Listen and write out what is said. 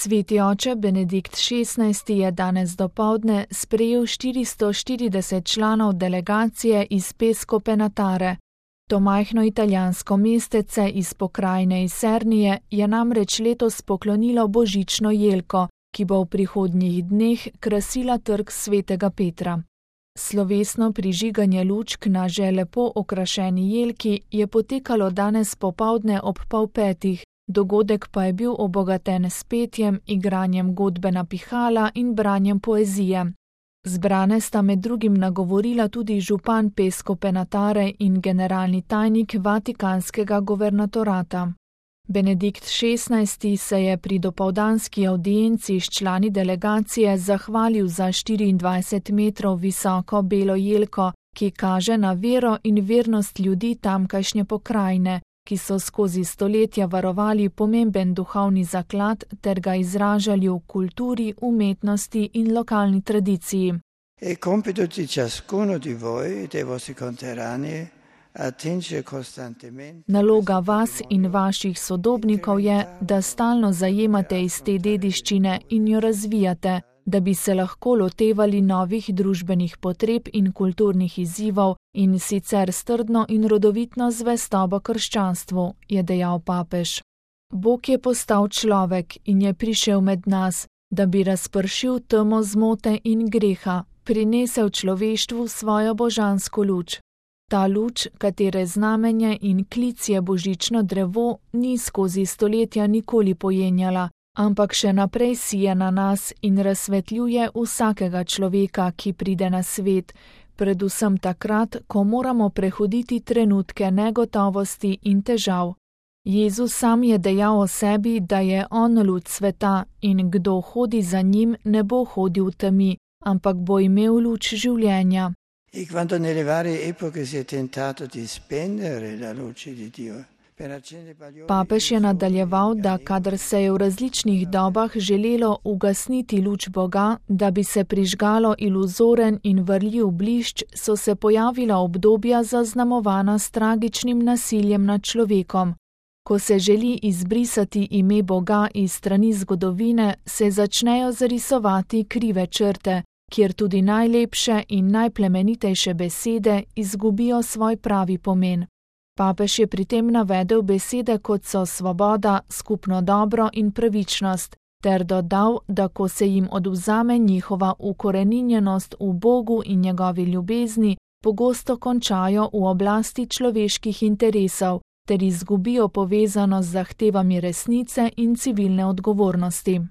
Sveti oče Benedikt XVI je danes dopoldne sprejel 440 članov delegacije iz Pesco Penatare. To majhno italijansko mestece iz pokrajine Isernije je namreč letos poklonilo božično jelko, ki bo v prihodnjih dneh krasila trg svetega Petra. Slovesno prižiganje lučk na že lepo okrašeni jelki je potekalo danes popoldne ob 4:30, dogodek pa je bil obogaten s petjem, igranjem godbe na pihala in branjem poezije. Zbrane sta med drugim nagovorila tudi župan Pesco Penatare in generalni tajnik Vatikanskega guvernatorata. Benedikt XVI se je pri dopoldanski avdienci s člani delegacije zahvalil za 24 metrov visoko belo jelko, ki kaže na vero in vernost ljudi tamkajšnje pokrajine, ki so skozi stoletja varovali pomemben duhovni zaklad ter ga izražali v kulturi, umetnosti in lokalni tradiciji. È compito di ciascuno di voi, dei vostri conterranei, attingere costantemente. Naloga vas in vaših sodobnikov je, da stalno zajemate iz te dediščine in jo razvijate, da bi se lahko lotevali novih družbenih potreb in kulturnih izzivov in sicer strdno in rodovitno zvestobo krščanstvu, je dejal papež. Bog je postal človek in je prišel med nas, da bi razpršil temo zmote in greha, prinesel človeštvu svojo božansko luč. Ta luč, katere znamenje in klic je božično drevo, ni skozi stoletja nikoli pojenjala, ampak še naprej sije na nas in razsvetljuje vsakega človeka, ki pride na svet, predvsem takrat, ko moramo prehoditi trenutke negotovosti in težav. Jezus sam je dejal o sebi, da je on luč sveta in kdo hodi za njim, ne bo hodil v temi, ampak bo imel luč življenja. E quando nelle varie epoche si è tentato di spendere la luce di Dio. Papež je nadaljeval, da kadar se je v različnih dobah želelo ugasniti luč Boga, da bi se prižgalo iluzoren in varljiv blišč, so se pojavila obdobja zaznamovana s tragičnim nasiljem nad človekom. Ko se želi izbrisati ime Boga iz strani zgodovine, se začnejo zarisovati krive črte, kjer tudi najlepše in najplemenitejše besede izgubijo svoj pravi pomen. Papež je pri tem navedel besede, kot so svoboda, skupno dobro in pravičnost, ter dodal, da ko se jim odvzame njihova ukoreninjenost v Bogu in njegovi ljubezni, pogosto končajo v oblasti človeških interesov, ter izgubijo povezano z zahtevami resnice in civilne odgovornosti.